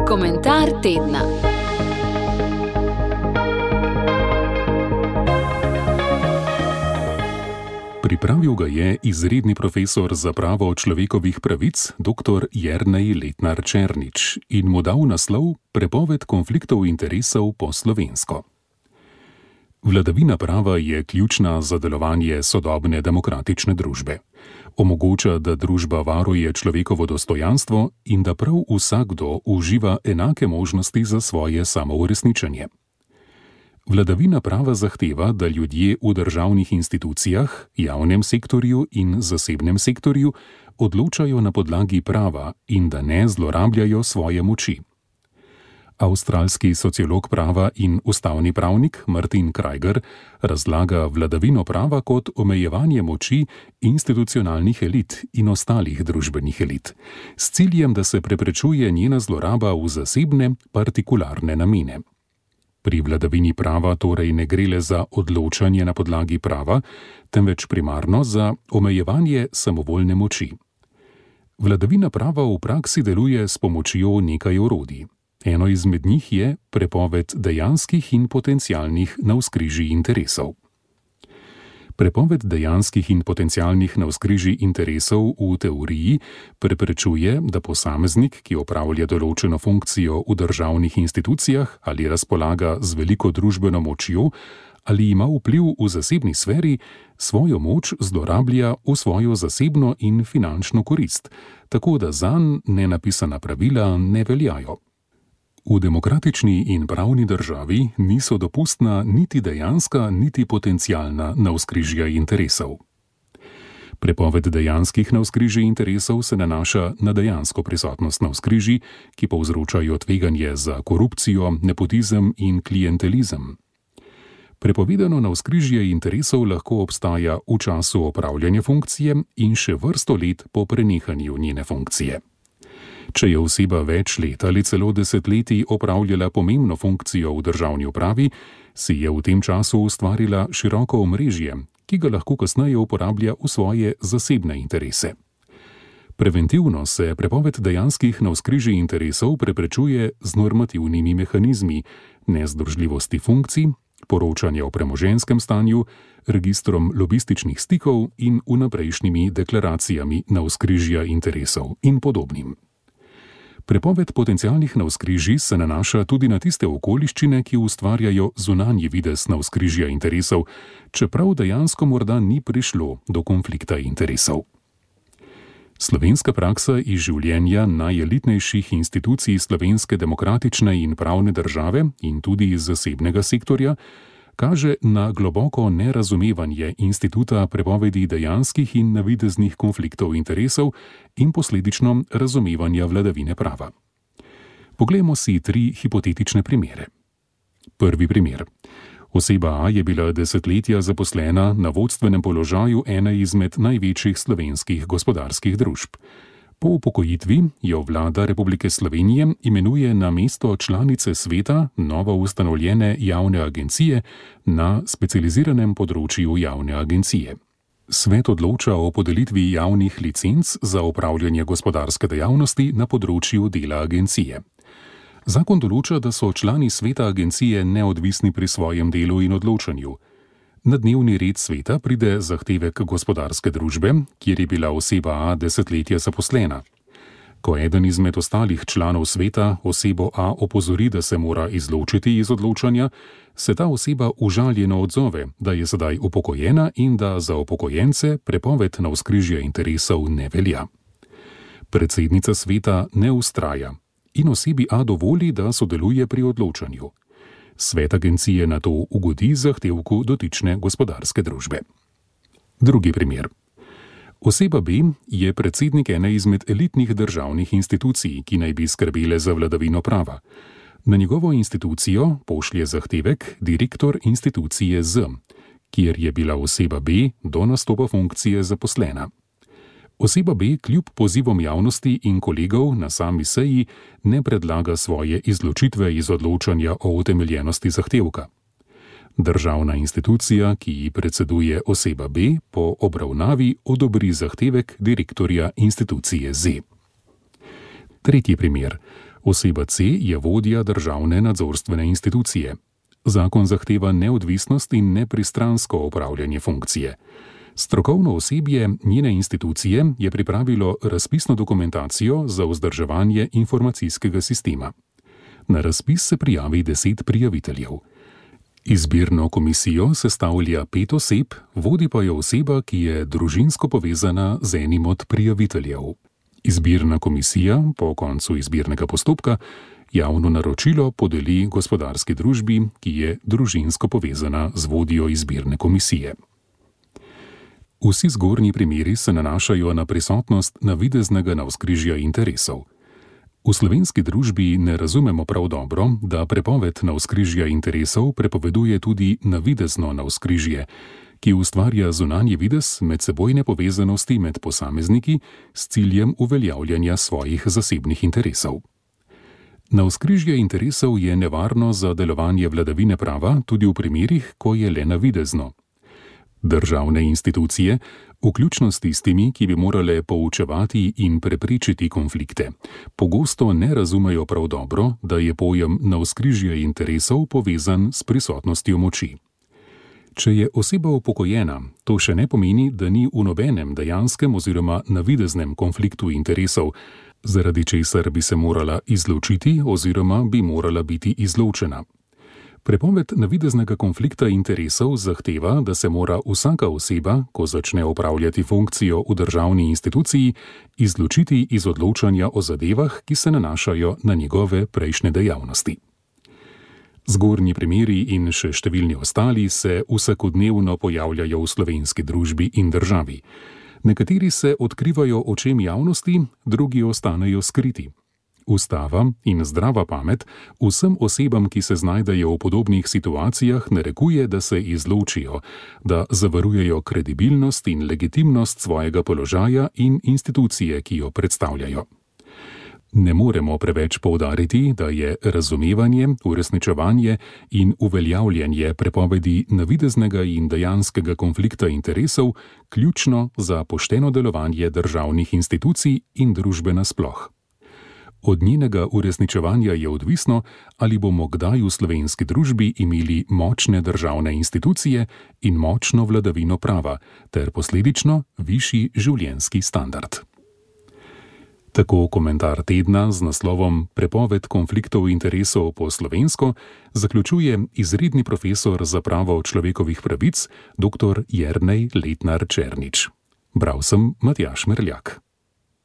Komentar tedna. Pripravil ga je izredni profesor za pravo človekovih pravic dr. Jernej Letnar Černič in mu dal naslov Prepoved konfliktov interesov po slovensko. Vladavina prava je ključna za delovanje sodobne demokratične družbe. Omogoča, da družba varuje človekovo dostojanstvo in da prav vsakdo uživa enake možnosti za svoje samouresničenje. Vladavina prava zahteva, da ljudje v državnih institucijah, javnem sektorju in zasebnem sektorju odločajo na podlagi prava in da ne zlorabljajo svoje moči. Avstralski sociolog prava in ustavni pravnik Martin Krajger razlaga vladavino prava kot omejevanje moči institucionalnih elit in ostalih družbenih elit, s ciljem, da se preprečuje njena zloraba v zasebne, partikularne namene. Pri vladavini prava torej ne gre le za odločanje na podlagi prava, temveč primarno za omejevanje samovoljne moči. Vladavina prava v praksi deluje s pomočjo nekaj orodij. Eno izmed njih je prepoved dejanskih in potencialnih navzkrižij interesov. Prepoved dejanskih in potencialnih navzkrižij interesov v teoriji preprečuje, da posameznik, ki opravlja določeno funkcijo v državnih institucijah ali razpolaga z veliko družbeno močjo ali ima vpliv v zasebni sferi, svojo moč zlorablja v svojo zasebno in finančno korist, tako da zanj nenapisana pravila ne veljajo. V demokratični in pravni državi niso dopustna niti dejanska, niti potencialna navzkrižja interesov. Prepoved dejanskih navzkrižij interesov se nanaša na dejansko prisotnost navzkrižij, ki povzročajo tveganje za korupcijo, nepotizem in klientelizem. Prepovedano navzkrižje interesov lahko obstaja v času opravljanja funkcije in še vrsto let po prenehanju njene funkcije. Če je oseba več let ali celo desetletij opravljala pomembno funkcijo v državni upravi, si je v tem času ustvarila široko omrežje, ki ga lahko kasneje uporablja v svoje zasebne interese. Preventivno se prepoved dejanskih navzkrižij interesov preprečuje z normativnimi mehanizmi, nezdružljivosti funkcij, poročanja o premoženjskem stanju, registrom lobističnih stikov in vnaprejšnjimi deklaracijami navzkrižja interesov in podobnim. Prepoved potencialnih navzkrižij se nanaša tudi na tiste okoliščine, ki ustvarjajo zunanji videz navzkrižja interesov, čeprav dejansko morda ni prišlo do konflikta interesov. Slovenska praksa iz življenja najelitnejših institucij slovenske demokratične in pravne države in tudi iz zasebnega sektorja kaže na globoko nerazumevanje instituta prepovedi dejanskih in navideznih konfliktov interesov in posledično razumevanja vladavine prava. Poglejmo si 3 hipotetične primere. Prvi primer. Oseba A je bila desetletja zaposlena na vodstvenem položaju ene izmed največjih slovenskih gospodarskih družb. Po upokojitvi jo vlada Republike Slovenije imenuje na mesto članice sveta novo ustanovljene javne agencije na specializiranem področju javne agencije. Svet odloča o podelitvi javnih licenc za opravljanje gospodarske dejavnosti na področju dela agencije. Zakon določa, da so člani sveta agencije neodvisni pri svojem delu in odločanju. Na dnevni red sveta pride zahtevek gospodarske družbe, kjer je bila oseba A desetletja zaposlena. Ko eden izmed ostalih članov sveta osebo A opozori, da se mora izločiti iz odločanja, se ta oseba užaljeno odzove, da je sedaj upokojena in da za upokojence prepoved navzkrižja interesov ne velja. Predsednica sveta ne vztraja in osebi A dovoli, da sodeluje pri odločanju. Svet agencije na to ugodi zahtevku dotične gospodarske družbe. Drugi primer. Oseba B je predsednik ene izmed elitnih državnih institucij, ki naj bi skrbele za vladavino prava. Na njegovo institucijo pošlje zahtevek direktor institucije Z, kjer je bila oseba B do nastopa funkcije zaposlena. Oseba B kljub pozivom javnosti in kolegov na sami seji ne predlaga svoje izločitve iz odločanja o utemeljenosti zahtevka. Državna institucija, ki ji predseduje oseba B, po obravnavi odobri zahtevek direktorja institucije Z. Tretji primer. Oseba C je vodja državne nadzorstvene institucije. Zakon zahteva neodvisnost in nepristransko opravljanje funkcije. Strokovno osebje njene institucije je pripravilo razpisno dokumentacijo za vzdrževanje informacijskega sistema. Na razpis se prijavi 10 prijaviteljev. Izbirno komisijo sestavlja 5 oseb, vodi pa jo oseba, ki je družinsko povezana z enim od prijaviteljev. Izbirna komisija po koncu izbirnega postopka javno naročilo podeli gospodarski družbi, ki je družinsko povezana z vodjo izbirne komisije. Vsi zgornji primeri se nanašajo na prisotnost navideznega navzkrižja interesov. V slovenski družbi ne razumemo prav dobro, da prepoved navzkrižja interesov prepoveduje tudi navidezno navzkrižje, ki ustvarja zunanji videz medsebojne povezanosti med posamezniki s ciljem uveljavljanja svojih zasebnih interesov. Navzkrižje interesov je nevarno za delovanje vladavine prava tudi v primerih, ko je le navidezno. Državne institucije, vključno s tistimi, ki bi morale poučevati in preprečiti konflikte, pogosto ne razumejo prav dobro, da je pojem navzkrižja interesov povezan s prisotnostjo moči. Če je oseba upokojena, to še ne pomeni, da ni v nobenem dejanskem oziroma navideznem konfliktu interesov, zaradi česar bi se morala izločiti oziroma bi morala biti izločena. Prepoved navideznega konflikta interesov zahteva, da se mora vsaka oseba, ko začne opravljati funkcijo v državni instituciji, izločiti iz odločanja o zadevah, ki se nanašajo na njegove prejšnje dejavnosti. Zgornji primeri in še številni ostali se vsakodnevno pojavljajo v slovenski družbi in državi. Nekateri se odkrivajo očem javnosti, drugi ostanejo skriti. Ustava in zdrava pamet vsem osebam, ki se znajdejo v podobnih situacijah, narekuje, da se izločijo, da zavarujejo kredibilnost in legitimnost svojega položaja in institucije, ki jo predstavljajo. Ne moremo preveč poudariti, da je razumevanje, uresničevanje in uveljavljanje prepovedi navideznega in dejanskega konflikta interesov ključno za pošteno delovanje državnih institucij in družbe nasploh. Od njenega uresničevanja je odvisno, ali bomo kdaj v slovenski družbi imeli močne državne institucije in močno vladavino prava, ter posledično višji življenjski standard. Tako komentar tedna z naslovom Prepoved konfliktov interesov po slovensko zaključuje izredni profesor za pravo človekovih pravic dr. Jernej Letnar Černič. Bral sem Matjaž Merljak.